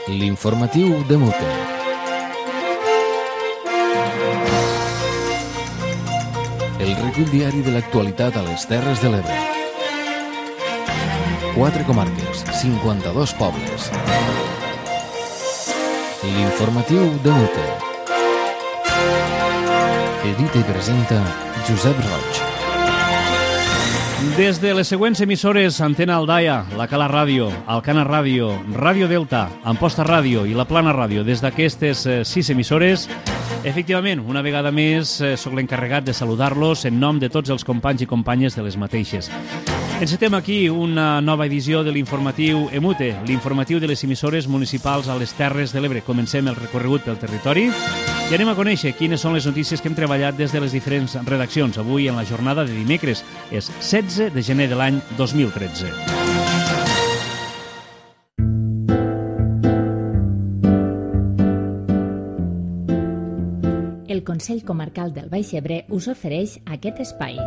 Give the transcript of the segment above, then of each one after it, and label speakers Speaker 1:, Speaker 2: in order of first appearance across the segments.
Speaker 1: L'informatiu de Mute. El recull diari de l'actualitat a les Terres de l'Ebre. 4 comarques, 52 pobles. L'informatiu de Mute. Edita i presenta Josep Roig.
Speaker 2: Des de les següents emissores Antena Aldaia, la Cala Ràdio, Alcana Ràdio, Ràdio Delta, Amposta Ràdio i la Plana Ràdio, des d'aquestes 6 emissores, efectivament, una vegada més, sóc l'encarregat de saludar-los en nom de tots els companys i companyes de les mateixes. Encetem aquí una nova edició de l'informatiu EMUTE, l'informatiu de les emissores municipals a les Terres de l'Ebre. Comencem el recorregut pel territori i anem a conèixer quines són les notícies que hem treballat des de les diferents redaccions. Avui, en la jornada de dimecres, és 16 de gener de l'any 2013.
Speaker 3: El Consell Comarcal del Baix Ebre us ofereix aquest espai.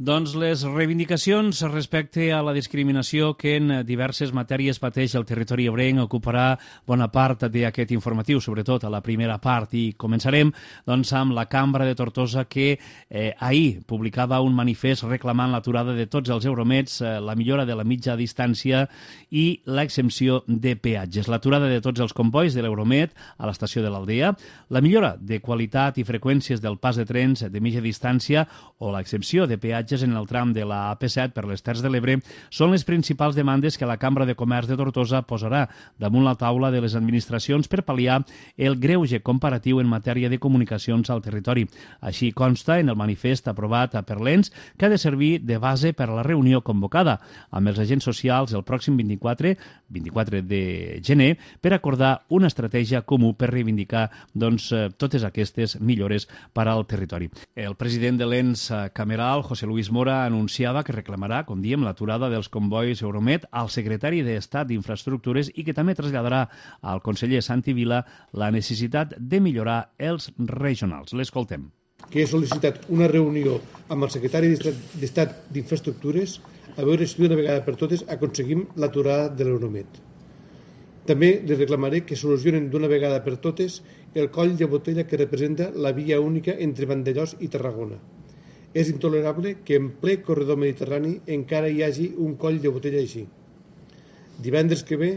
Speaker 2: Doncs les reivindicacions respecte a la discriminació que en diverses matèries pateix el territori ebrenc ocuparà bona part d'aquest informatiu, sobretot a la primera part. I començarem amb la Cambra de Tortosa, que ahir publicava un manifest reclamant l'aturada de tots els Euromeds, la millora de la mitja distància i l'exempció de peatges. L'aturada de tots els combois de l'Euromed a l'estació de l'Aldea, la millora de qualitat i freqüències del pas de trens de mitja distància o l'exempció de peatges en el tram de la AP7 per les Terres de l'Ebre són les principals demandes que la Cambra de Comerç de Tortosa posarà damunt la taula de les administracions per pal·liar el greuge comparatiu en matèria de comunicacions al territori. Així consta en el manifest aprovat per l'ENS, que ha de servir de base per a la reunió convocada amb els agents socials el pròxim 24 de gener per acordar una estratègia comú per reivindicar totes aquestes millores per al territori. El president de l'ENS cameral, José Luis Mora, anunciava que reclamarà, com diem, l'aturada dels combois Euromed al secretari d'Estat d'Infraestructures i que també traslladarà al conseller Santi Vila la necessitat de millorar els regionals. L'escoltem.
Speaker 4: Que he sol·licitat una reunió amb el secretari d'Estat d'Infraestructures a veure si d'una vegada per totes aconseguim l'aturada de l'Euromed. També li reclamaré que solucionen d'una vegada per totes el coll de botella que representa la via única entre Vandellòs i Tarragona. És intolerable que en ple corredor mediterrani encara hi hagi un coll de botella així. Divendres que ve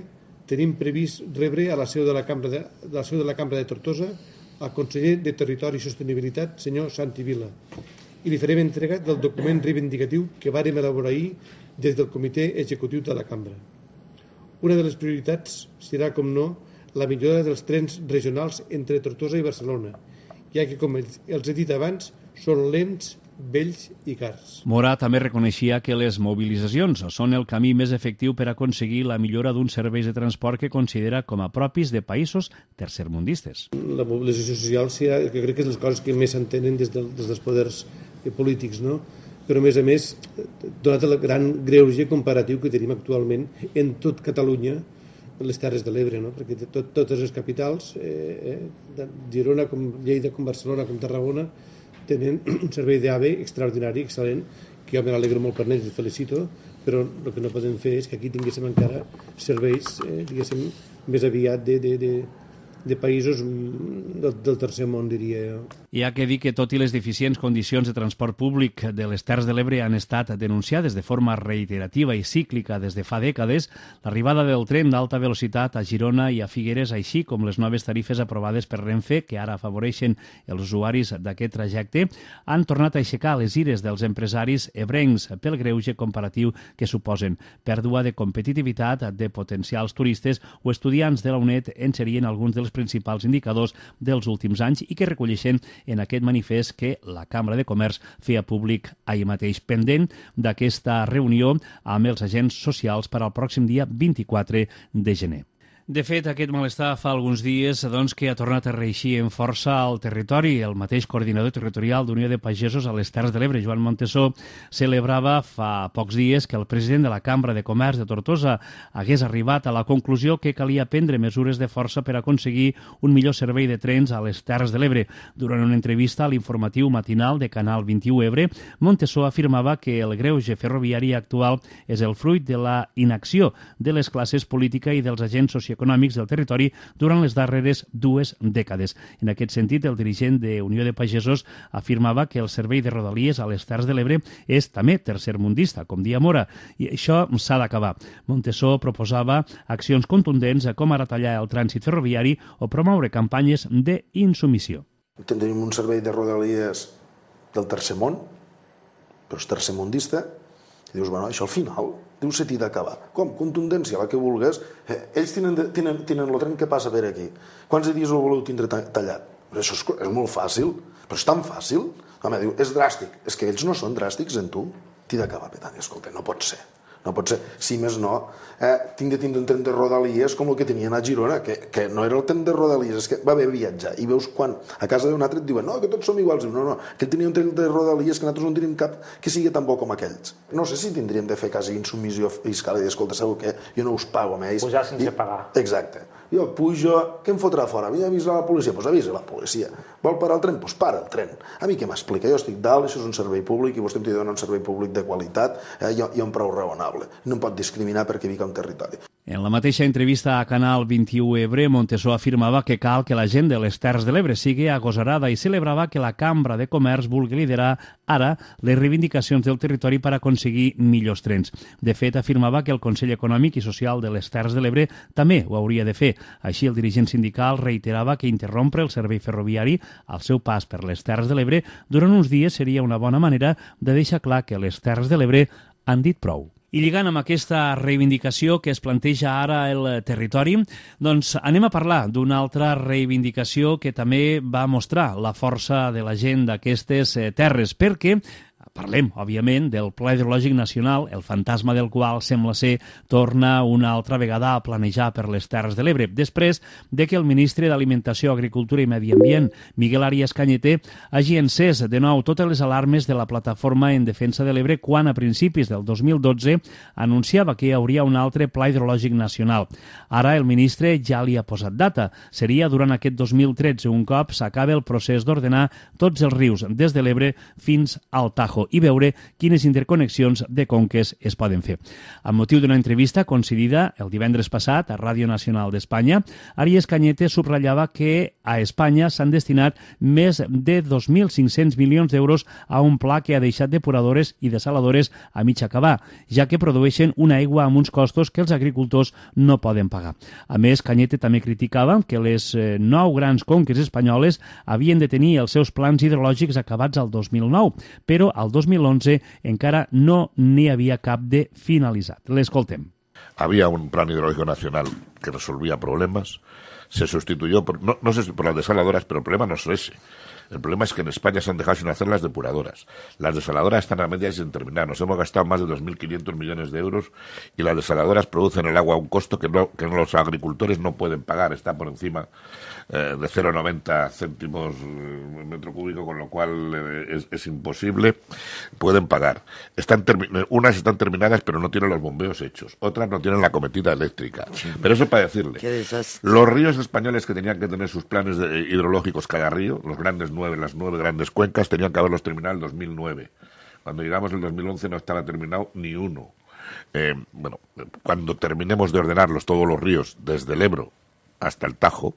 Speaker 4: tenim previst rebre a la seu de la Cambra de Tortosa el conseller de Territori i Sostenibilitat, senyor Santi Vila, i li farem entrega del document reivindicatiu que vàrem elaborar ahir des del comitè executiu de la Cambra. Una de les prioritats serà, com no, la millora dels trens regionals entre Tortosa i Barcelona, ja que, com els he dit abans, són lents, vells i cars.
Speaker 2: Mora també reconeixia que les mobilitzacions són el camí més efectiu per aconseguir la millora d'uns serveis de transport que considera com a propis de països tercermundistes.
Speaker 4: La mobilització social serà, que crec que és les coses que més s'entenen des dels poders polítics, no? Però, a més, donat el gran greuge comparatiu que tenim actualment en tot Catalunya, les Terres de l'Ebre, no? Perquè totes les capitals, Girona, com Lleida, com Barcelona, com Tarragona, tenen un servei d'AVE extraordinari, excel·lent, que jo me n'alegro molt per ells, els felicito, però el que no podem fer és que aquí tinguéssim encara serveis, diguéssim, més aviat de països del tercer món, diria jo.
Speaker 2: Hi ha que dir que, tot i les deficients condicions de transport públic de les Terres de l'Ebre han estat denunciades de forma reiterativa i cíclica des de fa dècades, l'arribada del tren d'alta velocitat a Girona i a Figueres, així com les noves tarifes aprovades per Renfe, que ara afavoreixen els usuaris d'aquest trajecte, han tornat a aixecar les ires dels empresaris ebrencs pel greuge comparatiu que suposen. Pèrdua de competitivitat de potencials turistes o estudiants de la UNED en serien alguns dels principals indicadors dels últims anys i que recolleixen en aquest manifest que la Cambra de Comerç feia públic ahir mateix, pendent d'aquesta reunió amb els agents socials per al pròxim dia 24 de gener. De fet, aquest malestar fa alguns dies que ha tornat a reeixir en força al territori. El mateix coordinador territorial d'Unió de Pagesos a les Terres de l'Ebre, Joan Montesó, celebrava fa pocs dies que el president de la Cambra de Comerç de Tortosa hagués arribat a la conclusió que calia prendre mesures de força per aconseguir un millor servei de trens a les Terres de l'Ebre. Durant una entrevista a l'informatiu matinal de Canal 21 Ebre, Montesó afirmava que el greuge ferroviari actual és el fruit de la inacció de les classes polítiques i dels agents socioeconòmics del territori durant les darreres 2 dècades. En aquest sentit, el dirigent de Unió de Pagesos afirmava que el servei de Rodalies a les Terres de l'Ebre és també tercermundista, com dia Mora, i això s'ha d'acabar. Montesó proposava accions contundents com ara tallar el trànsit ferroviari o promoure campanyes d'insubmissió.
Speaker 5: Tenim un servei de Rodalies del tercer món, però és tercermundista, i dius, bueno, això al final deu ser t'hi d'acabar. Com? Contundència, la que vulgues. Ells tenen el tren que passa per aquí. Quants dies el voleu tindre tallat? Això és molt fàcil, però és tan fàcil. Home, diu, és dràstic. És que ells no són dràstics en tu. T'hi d'acabar, Petani, escolta, no pot ser. No pot ser, si més no, tinc de tindre un tren de Rodalies com el que tenien a Girona, que no era el tren de Rodalies, és que va haver viatjar. I veus quan a casa d'un altre et diuen no, que tots som iguals. No, que tenia un tren de Rodalies que nosaltres no tenim cap que sigui tan bo com aquells. No sé si tindríem de fer quasi insubmissió fiscal i dir, escolta, sabeu què? Jo no us pago a ells.
Speaker 6: Pujar sense pagar.
Speaker 5: Exacte. Jo pujo, què em fotrà fora? Vull avisar la policia? Doncs avisa la policia. Vol parar el tren? Doncs para el tren. A mi què m'explica? Jo estic dalt, això és un servei públic i vostè em té de donar un servei públic de qualitat i un preu raonable. No em pot discriminar perquè vic a un territori.
Speaker 2: En la mateixa entrevista a Canal 21 Ebre, Montesó afirmava que cal que la gent de les Terres de l'Ebre sigui agosarada i celebrava que la Cambra de Comerç vulgui liderar ara les reivindicacions del territori per aconseguir millors trens. De fet, afirmava que el Consell Econòmic i Social de les Terres de l'Ebre també ho hauria de fer. Així, el dirigent sindical reiterava que interrompre el servei ferroviari al seu pas per les Terres de l'Ebre durant uns dies seria una bona manera de deixar clar que les Terres de l'Ebre han dit prou. I lligant amb aquesta reivindicació que es planteja ara el territori, doncs anem a parlar d'una altra reivindicació que també va mostrar la força de la gent d'aquestes terres, perquè parlem, òbviament, del Pla Hidrològic Nacional, el fantasma del qual sembla ser torna una altra vegada a planejar per les Terres de l'Ebre, després de que el ministre d'Alimentació, Agricultura i Medi Ambient, Miguel Arias Cañete, hagi encès de nou totes les alarmes de la Plataforma en Defensa de l'Ebre quan, a principis del 2012, anunciava que hi hauria un altre Pla Hidrològic Nacional. Ara el ministre ja li ha posat data. Seria durant aquest 2013, un cop s'acabi el procés d'ordenar tots els rius des de l'Ebre fins al Tajo i veure quines interconnexions de conques es poden fer. Amb motiu d'una entrevista concedida el divendres passat a Ràdio Nacional d'Espanya, Arias Cañete subratllava que a Espanya s'han destinat més de 2.500 milions d'euros a un pla que ha deixat depuradores i desaladores a mig acabar, ja que produeixen una aigua amb uns costos que els agricultors no poden pagar. A més, Cañete també criticava que les 9 grans conques espanyoles havien de tenir els seus plans hidrològics acabats al 2009, però al 2011 encara no n'hi havia cap de finalitzat. L'escoltem.
Speaker 7: Había un plan hidrológico nacional que resolvía problemas, se sustituyó no sé si por las desaladoras, pero el problema no es ese. El problema es que en España se han dejado sin hacer las depuradoras. Las desaladoras están a medias sin terminar. Nos hemos gastado más de 2.500 millones de euros y las desaladoras producen el agua a un costo que los agricultores no pueden pagar. Está por encima de 0,90 céntimos metro cúbico, con lo cual es imposible. Pueden pagar. Unas están terminadas, pero no tienen los bombeos hechos. Otras no tienen la cometida eléctrica. Pero eso para decirle, los ríos españoles que tenían que tener sus planes hidrológicos cada río, las 9 grandes cuencas, tenían que haberlos terminado en 2009. Cuando llegamos en 2011 no estaba terminado ni uno. Cuando terminemos de ordenarlos todos los ríos, desde el Ebro hasta el Tajo,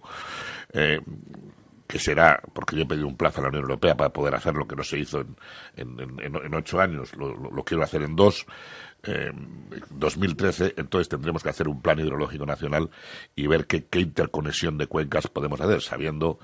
Speaker 7: que será, porque yo he pedido un plazo a la Unión Europea para poder hacer lo que no se hizo en 8 años, lo quiero hacer en 2, 2013, entonces tendremos que hacer un plan hidrológico nacional y ver qué interconexión de cuencas podemos hacer, sabiendo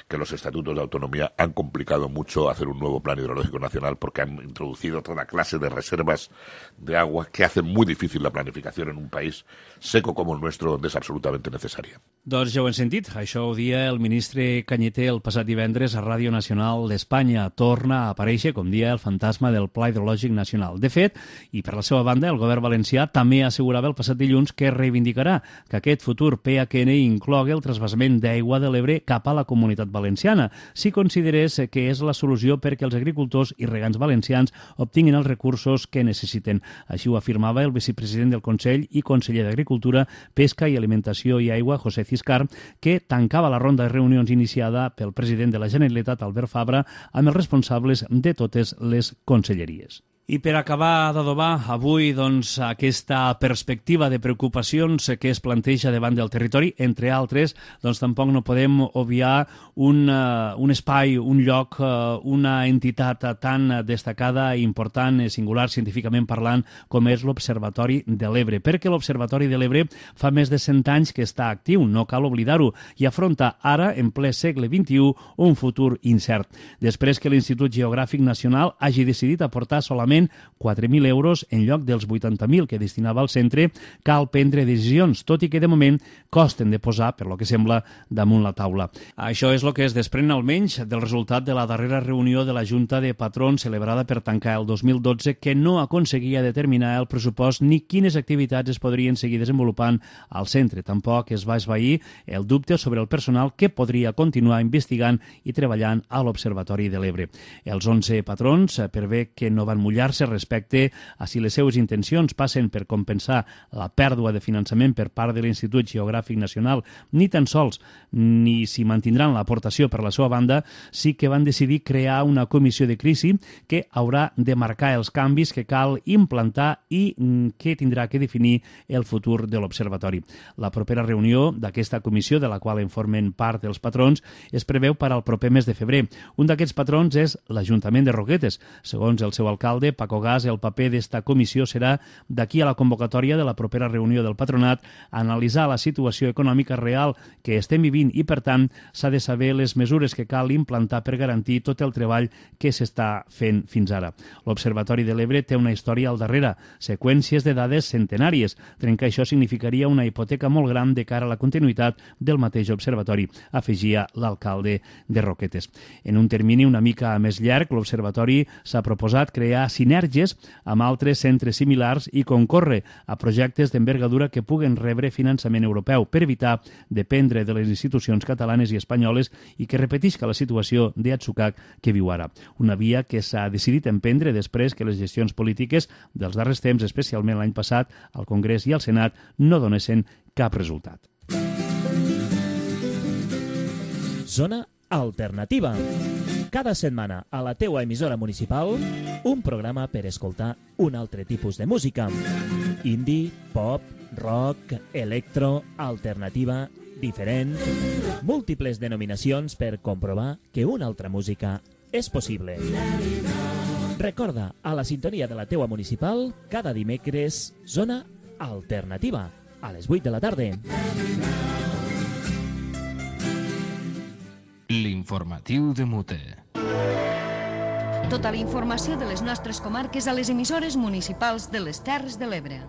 Speaker 7: que los estatutos de autonomía han complicado mucho hacer un nuevo plan hidrológico nacional porque han introducido toda clase de reservas de agua que hacen muy difícil la planificación en un país seco como el nuestro, donde es absolutamente necesaria.
Speaker 2: Doncs ja ho hem sentit. Això ho dia el ministre Cañete el passat divendres a Ràdio Nacional d'Espanya. Torna a aparèixer, com dia, el fantasma del Pla Hidrològic Nacional. De fet, i per la seva banda, el govern valencià també assegurava el passat dilluns que reivindicarà que aquest futur PHN inclogui el trasbassament d'aigua de l'Ebre cap a la Comunitat Valenciana, si considerés que és la solució perquè els agricultors i regants valencians obtinguin els recursos que necessiten. Així ho afirmava el vicepresident del Consell i conseller d'Agricultura, Pesca i Alimentació i Aigua, José Ciscar, que tancava la ronda de reunions iniciada pel president de la Generalitat, Albert Fabra, amb els responsables de totes les conselleries. I per acabar d'adobar avui aquesta perspectiva de preocupacions que es planteja davant del territori, entre altres, tampoc no podem obviar un espai, un lloc, una entitat tan destacada, important, singular, científicament parlant, com és l'Observatori de l'Ebre. Perquè l'Observatori de l'Ebre fa més de 100 anys que està actiu, no cal oblidar-ho, i afronta ara, en ple segle XXI, un futur incert. Després que l'Institut Geogràfic Nacional hagi decidit aportar solament 4.000 euros en lloc dels 80.000 que destinava al centre, cal prendre decisions, tot i que de moment costen de posar, per lo que sembla, damunt la taula. Això és el que es desprèn almenys del resultat de la darrera reunió de la Junta de Patrons celebrada per tancar el 2012, que no aconseguia determinar el pressupost ni quines activitats es podrien seguir desenvolupant al centre. Tampoc es va esvair el dubte sobre el personal que podria continuar investigant i treballant a l'Observatori de l'Ebre. Els 11 patrons, per bé que no van mullar respecte a si les seues intencions passen per compensar la pèrdua de finançament per part de l'Institut Geogràfic Nacional, ni tan sols ni si mantindran l'aportació per la seva banda, sí que van decidir crear una comissió de crisi que haurà de marcar els canvis que cal implantar i que tindrà que definir el futur de l'Observatori. La propera reunió d'aquesta comissió, de la qual en formen part els patrons, es preveu per al proper mes de febrer. Un d'aquests patrons és l'Ajuntament de Roquetes. Segons el seu alcalde, Paco Gas, el paper d'esta comissió serà, d'aquí a la convocatòria de la propera reunió del patronat, analitzar la situació econòmica real que estem vivint i, per tant, s'ha de saber les mesures que cal implantar per garantir tot el treball que s'està fent fins ara. L'Observatori de l'Ebre té una història al darrere, seqüències de dades centenàries. Trencar això significaria una hipoteca molt gran de cara a la continuïtat del mateix observatori, afegia l'alcalde de Roquetes. En un termini una mica més llarg, l'Observatori s'ha proposat crear sinergies amb altres centres similars i concórrer a projectes d'envergadura que puguen rebre finançament europeu per evitar dependre de les institucions catalanes i espanyoles i que repetisca la situació d'atzucac que viu ara. Una via que s'ha decidit emprendre després que les gestions polítiques dels darrers temps, especialment l'any passat, al Congrés i al Senat, no donessin cap resultat.
Speaker 6: Zona Alternativa. Cada setmana a la teua emissora municipal, un programa per escoltar un altre tipus de música. Indie, pop, rock, electro, alternativa, diferent... Múltiples denominacions per comprovar que una altra música és possible. Recorda, a la sintonia de la teua municipal, cada dimecres, Zona Alternativa, a les 8 de la tarda.
Speaker 1: L'informatiu de Mute.
Speaker 8: Tota la informació de les nostres comarques a les emissores municipals de les Terres de l'Ebre.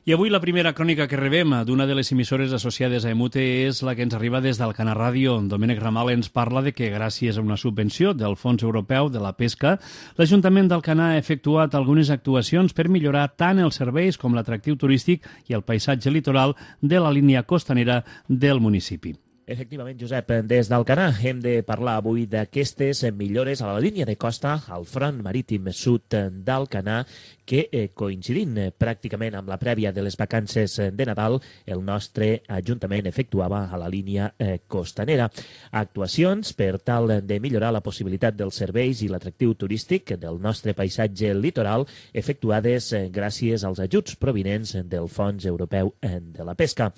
Speaker 2: I avui la primera crònica que rebem d'una de les emissores associades a EMUTE és la que ens arriba des d'Alcanar Ràdio. Domènec Ramal ens parla de que gràcies a una subvenció del Fons Europeu de la Pesca, l'Ajuntament d'Alcanar ha efectuat algunes actuacions per millorar tant els serveis com l'atractiu turístic i el paisatge litoral de la línia costanera del municipi.
Speaker 6: Efectivament, Josep, des d'Alcanar hem de parlar avui d'aquestes millores a la línia de costa al front marítim sud d'Alcanar que, coincidint pràcticament amb la prèvia de les vacances de Nadal, el nostre Ajuntament efectuava a la línia costanera. Actuacions per tal de millorar la possibilitat dels serveis i l'atractiu turístic del nostre paisatge litoral efectuades gràcies als ajuts provinents del Fons Europeu de la Pesca.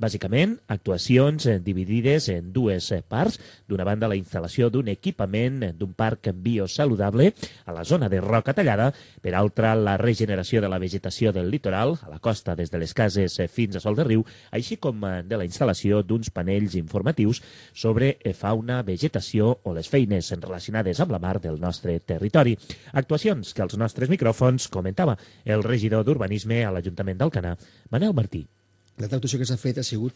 Speaker 6: Bàsicament, actuacions dividides en dues parts. D'una banda, la instal·lació d'un equipament d'un parc biosaludable a la zona de Roca Tallada. Per altra, la regeneració de la vegetació del litoral, a la costa des de les cases fins a Sol de Riu, així com de la instal·lació d'uns panells informatius sobre fauna, vegetació o les feines relacionades amb la mar del nostre territori. Actuacions que als nostres micròfons comentava el regidor d'Urbanisme a l'Ajuntament d'Alcanar, Manel Martí.
Speaker 9: L'altra actuació que s'ha fet ha sigut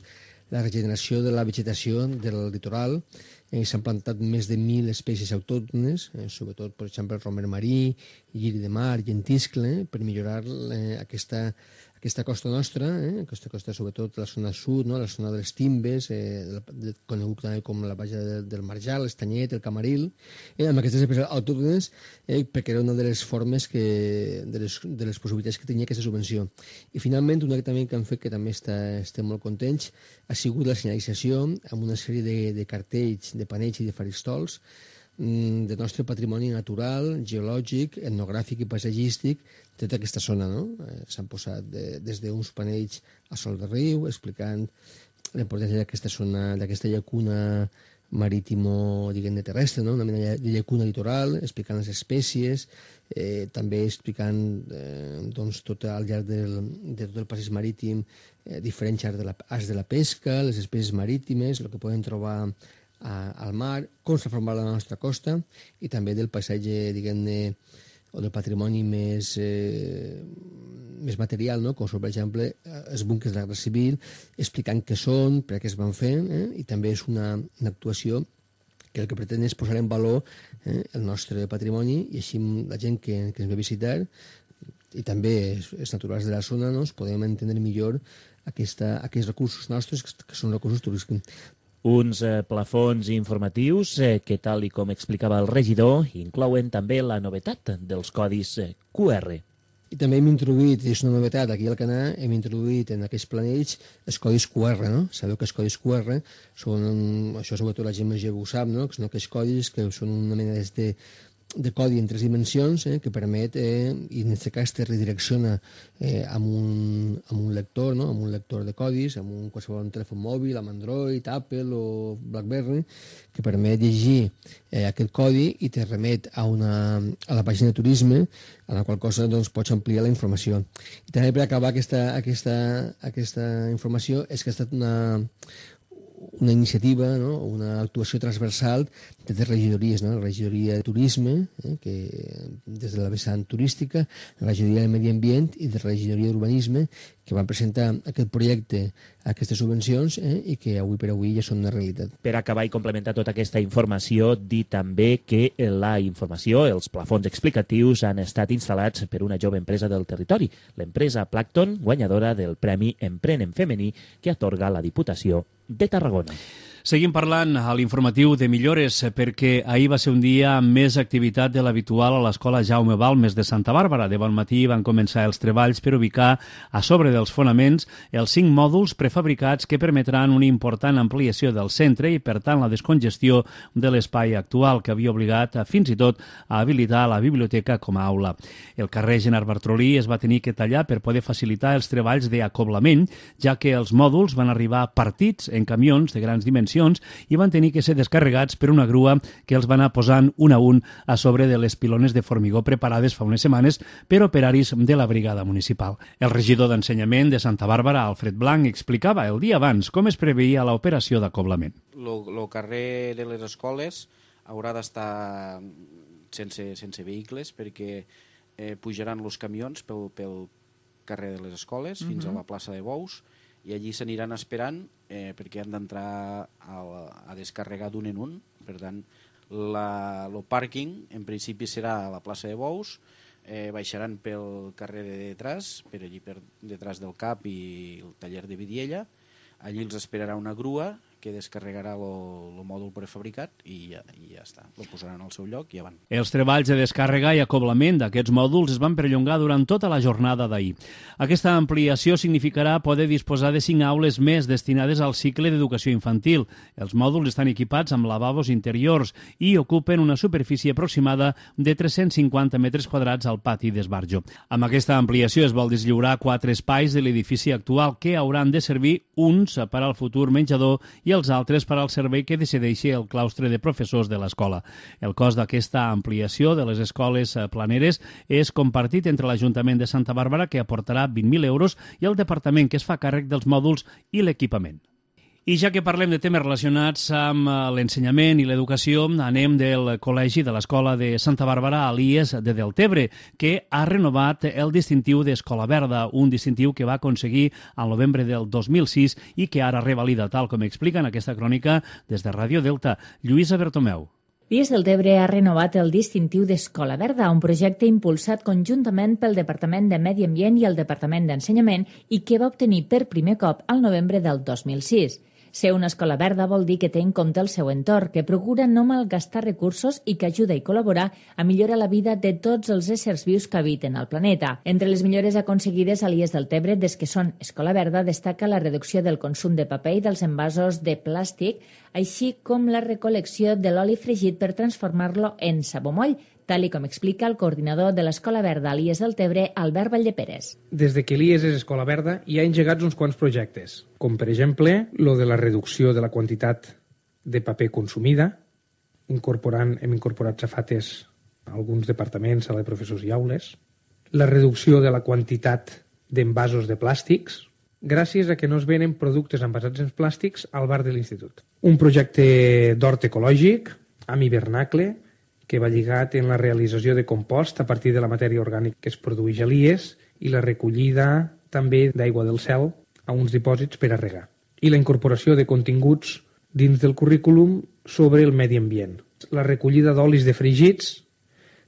Speaker 9: la regeneració de la vegetació del litoral. S'han plantat més de 1.000 espècies autòctones, sobretot, per exemple, el romer marí, lliri de mar, llentiscle, per millorar aquesta costa nostra, aquesta costa sobretot la zona sud, no? La zona de les Timbes, conegut també com la Baja del Marjal, l'Estanyet, el Camaril, amb aquestes espècies autòctones, perquè era una de les formes de les possibilitats que tenia aquesta subvenció. I finalment, una que també que han fet, que també estem molt contents, ha sigut la senyalització amb una sèrie de cartells, de panells i de faristols del nostre patrimoni natural, geològic, etnogràfic i paisatgístic de tota aquesta zona, no? S'han posat des d'uns panells a Sol de Riu, explicant l'importància d'aquesta zona, d'aquesta llacuna marítimo, diguem-ne, terrestre, no? Una mena de llacuna litoral, explicant les espècies, també explicant doncs, tot al llarg de tot el passeig marítim diferents arts de la pesca, les espècies marítimes, el que poden trobar al mar, com s'ha format la nostra costa i també del paisatge, diguem-ne, o del patrimoni més material, no? Com són, per exemple, els búnquers de la Guerra Civil, explicant què són, per què es van fer, i també és una actuació que el que pretén és posar en valor el nostre patrimoni i així la gent que ens ve a visitar i també els naturals de la zona podem entendre millor aquests recursos nostres que són recursos turístics.
Speaker 6: Uns plafons informatius que, tal i com explicava el regidor, inclouen també la novetat dels codis QR.
Speaker 9: I també hem introduït, és una novetat, aquí al Alcanar hem introduït en aquests planells els codis QR, no? Sabeu que els codis QR són, això sobretot la gent més jove ho sap, no? Que són aquests codis que són una mena de codi en 3 dimensions que permet, i en aquest cas te redirecciona amb un lector, no? Amb un lector de codis, amb un qualsevol telèfon mòbil, amb Android, Apple o BlackBerry, que permet llegir aquest codi i te remet a la pàgina de turisme, a la qual cosa doncs, pots ampliar la informació. I també per acabar aquesta informació és que ha estat una iniciativa, no? Una actuació transversal de 3 regidories, no? La regidoria de turisme, que des de la vessant turística, la regidoria de medi ambient i la regidoria d'urbanisme, que van presentar aquest projecte, aquestes subvencions, i que avui per avui ja són una realitat.
Speaker 6: Per acabar i complementar tota aquesta informació, dir també que la informació, els plafons explicatius, han estat instal·lats per una jove empresa del territori, l'empresa Plankton, guanyadora del Premi Empren en Femení que atorga la Diputació de Tarragona.
Speaker 2: Seguim parlant a l'informatiu de millores perquè ahir va ser un dia amb més activitat de l'habitual a l'Escola Jaume Balmes de Santa Bàrbara. De bon matí van començar els treballs per ubicar a sobre dels fonaments els 5 mòduls prefabricats que permetran una important ampliació del centre i, per tant, la descongestió de l'espai actual que havia obligat fins i tot a habilitar la biblioteca com a aula. El carrer Gerard Bartrolí es va tenir que tallar per poder facilitar els treballs d'acoblament, ja que els mòduls van arribar partits en camions de grans dimensions i van tenir que ser descarregats per una grua que els va anar posant un a un a sobre de les pilones de formigó preparades fa unes setmanes per operaris de la brigada municipal. El regidor d'Ensenyament de Santa Bàrbara, Alfred Blanc, explicava el dia abans com es preveia l'operació d'acoblament.
Speaker 10: El carrer de les escoles haurà d'estar sense vehicles perquè pujaran els camions pel carrer de les escoles fins a la plaça de Bous i allí s'aniran esperant perquè han d'entrar a descarregar d'un en un. Per tant, el pàrquing en principi serà a la plaça de Bous, baixaran pel carrer de detrás, per allí per detrás del CAP i el taller de Vidiella. Allí els esperarà una grua que descarregarà el mòdul prefabricat i ja està. Lo posaran al seu lloc i ja van.
Speaker 2: Els treballs de descàrrega i acoblament d'aquests mòduls es van perllongar durant tota la jornada d'ahir. Aquesta ampliació significarà poder disposar de 5 aules més destinades al cicle d'educació infantil. Els mòduls estan equipats amb lavabos interiors i ocupen una superfície aproximada de 350 metres quadrats al pati d'esbarjo. Amb aquesta ampliació es vol deslliurar 4 espais de l'edifici actual que hauran de servir uns per al futur menjador i els altres per al servei que decideixi el claustre de professors de l'escola. El cost d'aquesta ampliació de les escoles planeres és compartit entre l'Ajuntament de Santa Bàrbara, que aportarà 20.000 euros, i el Departament, que es fa càrrec dels mòduls i l'equipament. I ja que parlem de temes relacionats amb l'ensenyament i l'educació, anem del col·legi de l'Escola de Santa Bàrbara a l'IES de Deltebre, que ha renovat el distintiu d'Escola Verda, un distintiu que va aconseguir al novembre del 2006 i que ara revalida, tal com explica en aquesta crònica des de Ràdio Delta. Lluïsa Bertomeu.
Speaker 3: l'IES Deltebre ha renovat el distintiu d'Escola Verda, un projecte impulsat conjuntament pel Departament de Medi Ambient i el Departament d'Ensenyament i que va obtenir per primer cop al novembre del 2006. Ser una escola verda vol dir que té en compte el seu entorn, que procura no malgastar recursos i que ajuda i col·labora a millorar la vida de tots els éssers vius que habiten al planeta. Entre les millores aconseguides a l'IES Deltebre des que són Escola Verda destaca la reducció del consum de paper i dels envasos de plàstic, així com la recol·lecció de l'oli fregit per transformar-lo en sabomoll, tal com explica el coordinador de l'Escola Verda a l'IES Deltebre, Albert Valldeperes.
Speaker 11: Des de que l'IES és Escola Verda hi ha engegats uns quants projectes, com per exemple lo de la reducció de la quantitat de paper consumida, hem incorporat safates a alguns departaments, sala de professors i aules, la reducció de la quantitat d'envasos de plàstics, gràcies a que no es venen productes envasats en plàstics al bar de l'institut. Un projecte d'hort ecològic, amb hivernacle, que va lligat en la realització de compost a partir de la matèria orgànica que es produeix a l'IES i la recollida també d'aigua del cel a uns dipòsits per a regar. I la incorporació de continguts dins del currículum sobre el medi ambient. La recollida d'olis defregits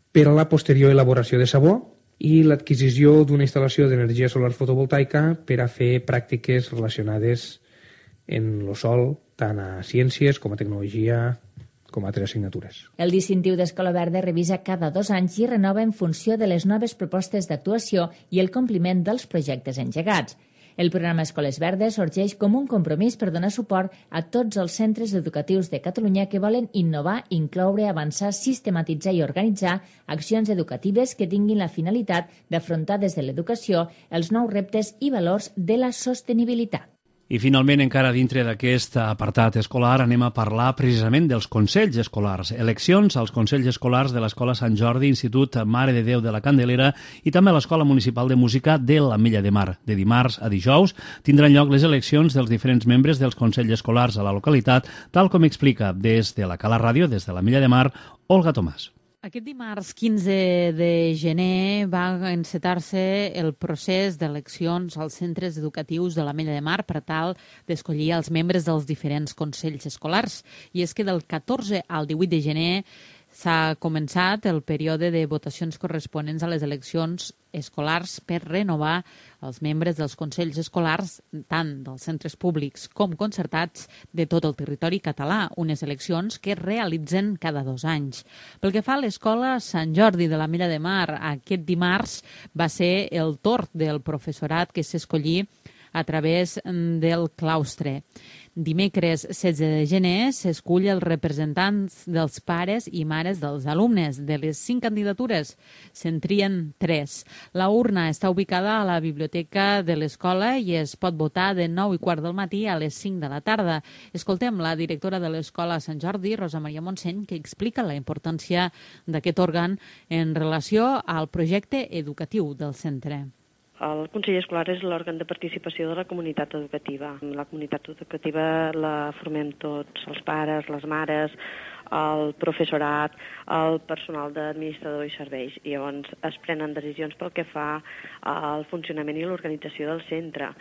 Speaker 11: per a la posterior elaboració de sabó i l'adquisició d'una instal·lació d'energia solar fotovoltaica per a fer pràctiques relacionades en el sol, tant a ciències com a tecnologia, com a altres assignatures.
Speaker 3: El distintiu d'Escola Verda revisa cada 2 anys i renova en funció de les noves propostes d'actuació i el compliment dels projectes engegats. El programa Escoles Verdes sorgeix com un compromís per donar suport a tots els centres educatius de Catalunya que volen innovar, incloure, avançar, sistematitzar i organitzar accions educatives que tinguin la finalitat d'afrontar des de l'educació els nous reptes i valors de la sostenibilitat.
Speaker 2: I finalment, encara dintre d'aquest apartat escolar, anem a parlar precisament dels consells escolars. Eleccions als consells escolars de l'Escola Sant Jordi, Institut Mare de Déu de la Candelera i també a l'Escola Municipal de Música de l'Ametlla de Mar. De dimarts a dijous tindran lloc les eleccions dels diferents membres dels consells escolars a la localitat, tal com explica des de la Cala Ràdio, des de l'Ametlla de Mar, Olga Tomàs.
Speaker 12: Aquest dimarts 15 de gener va encetar-se el procés d'eleccions als centres educatius de l'Ametlla de Mar per tal d'escollir els membres dels diferents consells escolars. I és que del 14 al 18 de gener s'ha començat el període de votacions corresponents a les eleccions escolars per renovar els membres dels consells escolars, tant dels centres públics com concertats de tot el territori català, unes eleccions que es realitzen cada 2 anys. Pel que fa a l'Escola Sant Jordi de l'Ametlla de Mar, aquest dimarts va ser el torn del professorat que s'escollí a través del claustre. Dimecres 16 de gener s'escull els representants dels pares i mares dels alumnes. De les 5 candidatures se'n trien 3. La urna està ubicada a la biblioteca de l'escola i es pot votar de 9:15 del matí a les 5 de la tarda. Escoltem la directora de l'Escola Sant Jordi, Rosa Maria Montseny, que explica la importància d'aquest òrgan en relació al projecte educatiu del centre.
Speaker 13: El Consell Escolar és l'òrgan de participació de la comunitat educativa. La comunitat educativa la formem tots, els pares, les mares, el professorat, el personal d'administrador i serveis. I llavors es prenen decisions pel que fa al funcionament i l'organització del centre,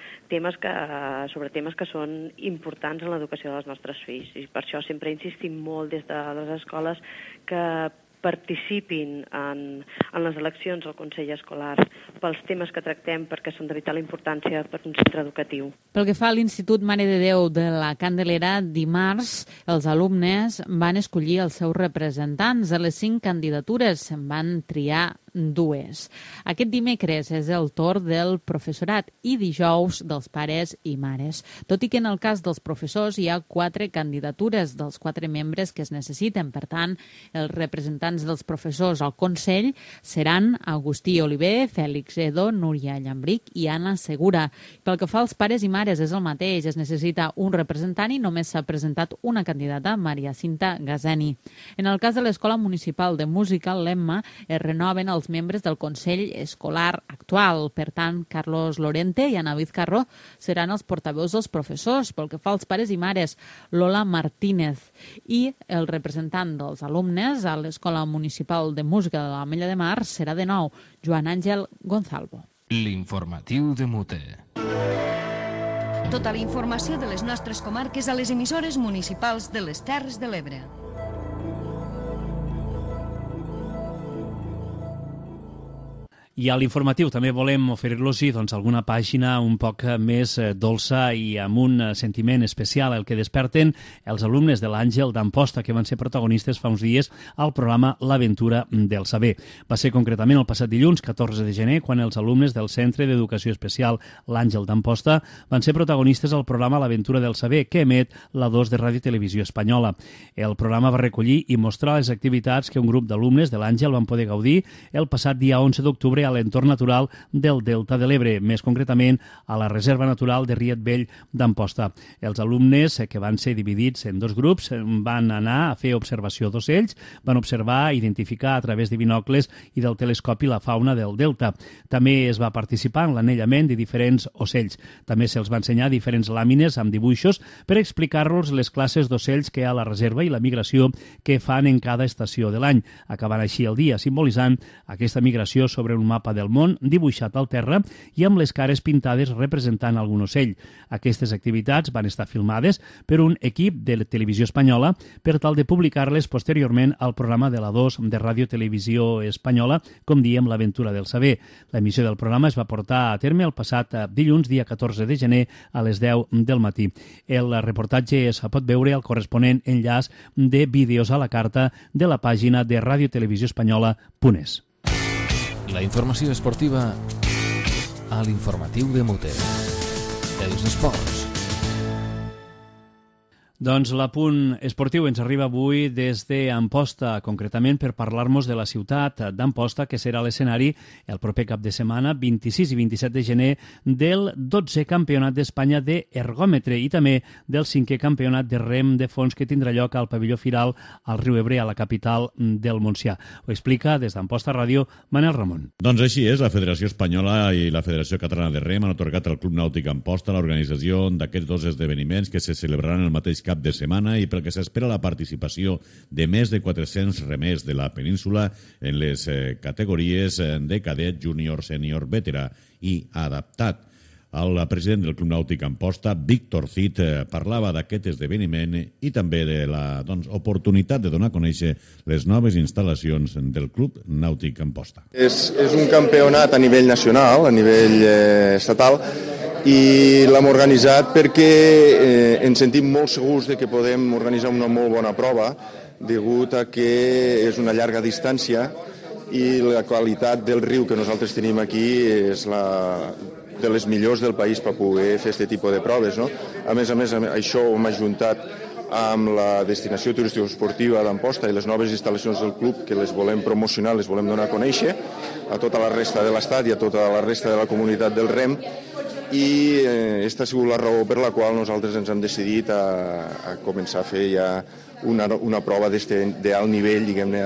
Speaker 13: sobre temes que són importants en l'educació dels nostres fills. I per això sempre insistim molt des de les escoles que participin en les eleccions al Consell Escolar pels temes que tractem, perquè són de vital importància per un centre educatiu.
Speaker 12: Pel que fa a l'Institut Mare de Déu de la Candelera, dimarts els alumnes van escollir els seus representants. De les 5 candidatures se'n van triar 2. Aquest dimecres és el torn del professorat i dijous dels pares i mares. Tot i que en el cas dels professors hi ha 4 candidatures dels 4 membres que es necessiten. Per tant, els representants dels professors al Consell seran Agustí Oliver, Fèlix Edo, Núria Llambric i Anna Segura. Pel que fa als pares i mares és el mateix. Es necessita un representant i només s'ha presentat una candidata, Maria Cinta Gazeni. En el cas de l'Escola Municipal de Música, l'EMMA, es renoven els membres del Consell Escolar actual. Per tant, Carlos Lorente i Ana Vizcarro seran els portaveus dels professors. Pel que fa als pares i mares, Lola Martínez, i el representant dels alumnes a l'Escola Municipal de Música de l'Ametlla de Mar serà de nou Joan Àngel Gonzalvo.
Speaker 1: L'informatiu de Mute.
Speaker 8: Tota la informació de les nostres comarques a les emissores municipals de les Terres de l'Ebre.
Speaker 2: I a l'informatiu també volem oferir-los alguna pàgina un poc més dolça i amb un sentiment especial, el que desperten els alumnes de l'Àngel d'Amposta, que van ser protagonistes fa uns dies al programa L'Aventura del Saber. Va ser concretament el passat dilluns, 14 de gener, quan els alumnes del Centre d'Educació Especial L'Àngel d'Amposta van ser protagonistes al programa L'Aventura del Saber, que emet la 2 de Ràdio Televisió Espanyola. El programa va recollir i mostrar les activitats que un grup d'alumnes de l'Àngel van poder gaudir el passat dia 11 d'octubre a l'entorn natural del Delta de l'Ebre, més concretament a la Reserva Natural de Riet Vell d'Amposta. Els alumnes, que van ser dividits en 2 grups, van anar a fer observació d'ocells, van observar i identificar a través de binocles i del telescopi la fauna del Delta. També es va participar en l'anellament de diferents ocells. També se'ls va ensenyar diferents làmines amb dibuixos per explicar-los les classes d'ocells que hi ha a la reserva i la migració que fan en cada estació de l'any, acabant així el dia simbolitzant aquesta migració sobre un mapa del món dibuixat al terra i amb les cares pintades representant algun ocell. Aquestes activitats van estar filmades per un equip de Televisió Espanyola per tal de publicar-les posteriorment al programa de la 2 de Ràdio Televisió Espanyola, com diem, L'Aventura del Saber. L'emissió del programa es va portar a terme el passat dilluns, dia 14 de gener, a les 10 del matí. El reportatge es pot veure al corresponent enllaç de vídeos a la carta de la pàgina de radiotelevisioespanyola.es.
Speaker 1: La informació esportiva a l'informatiu de Mute. Els esports.
Speaker 2: Doncs l'apunt esportiu ens arriba avui des d'Amposta, concretament per parlar-nos de la ciutat d'Amposta, que serà l'escenari el proper cap de setmana, 26 i 27 de gener, del 12è Campionat d'Espanya d'Ergòmetre i també del 5è Campionat de Rem de Fons que tindrà lloc al pavelló Firal al Riu Ebre, a la capital del Montsià. Ho explica des d'Amposta Ràdio Manel Ramon.
Speaker 14: Doncs així és, la Federació Espanyola i la Federació Catalana de Rem han atorgat al Club Nàutic Amposta l'organització d'aquests 2 esdeveniments que se celebraran el mateix cap de setmana i pel que s'espera la participació de més de 400 remers de la península en les categories de cadet, júnior, sènior, veterà i adaptat. El president del Club Nàutic Amposta, Víctor Cid, parlava d'aquest esdeveniment i també de la oportunitat de donar a conèixer les noves instal·lacions del Club Nàutic Amposta.
Speaker 15: És un campionat a nivell nacional, a nivell estatal, i l'hem organitzat perquè ens sentim molt segurs de que podem organitzar una molt bona prova degut a que és una llarga distància i la qualitat del riu que nosaltres tenim aquí és de les millors del país per poder fer aquest tipus de proves. No? A més, això ho hem ajuntat amb la destinació turístico-esportiva d'Amposta i les noves instal·lacions del club que les volem promocionar, les volem donar a conèixer a tota la resta de l'estat i a tota la resta de la comunitat del Rem, i aquesta ha sigut la raó per la qual nosaltres ens hem decidit a començar a fer ja una prova d'alt nivell, diguem-ne,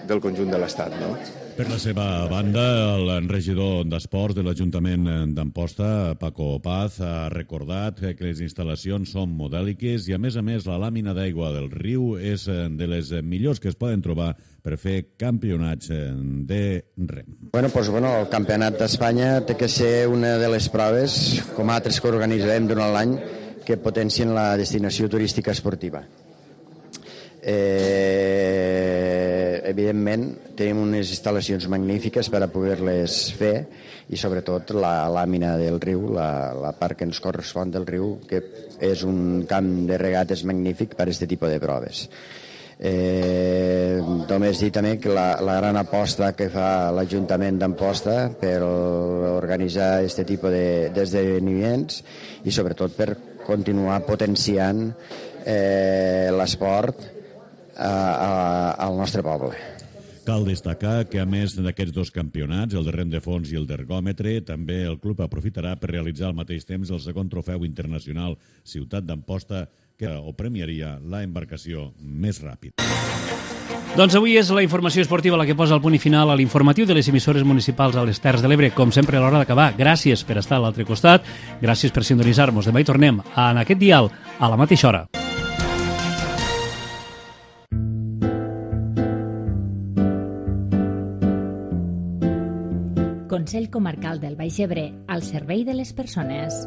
Speaker 15: del conjunt de l'estat, no?
Speaker 14: Per la seva banda, el regidor d'Esports de l'Ajuntament d'Amposta, Paco Paz, ha recordat que les instal·lacions són modèliques i, a més, la làmina d'aigua del riu és de les millors que es poden trobar per fer campionats de rem.
Speaker 16: El Campionat d'Espanya té que ser una de les proves, com altres que organitzarem durant l'any, que potencien la destinació turística esportiva. evidentment, tenim unes instal·lacions magnífiques per a poder-les fer i, sobretot, la làmina del riu, la part que ens correspon del riu, que és un camp de regates magnífic per a aquest tipus de proves. Només dir també que la gran aposta que fa l'Ajuntament d'Amposta per organitzar aquest tipus d'esdeveniments i sobretot per continuar potenciant l'esport al nostre poble.
Speaker 14: Cal destacar que, a més d'aquests dos campionats, el de rem de fons i el d'ergòmetre, també el club aprofitarà per realitzar al mateix temps el segon trofeu internacional Ciutat d'Amposta, que ho premiaria la embarcació més ràpid.
Speaker 2: Doncs avui és la informació esportiva la que posa el punt i final a l'informatiu de les emissores municipals a les Terres de l'Ebre. Com sempre, a l'hora d'acabar, gràcies per estar a l'altre costat, gràcies per sintonitzar-nos. Demà hi tornem en aquest dial a la mateixa hora.
Speaker 3: Consell Comarcal del Baix Ebre, al servei de les persones.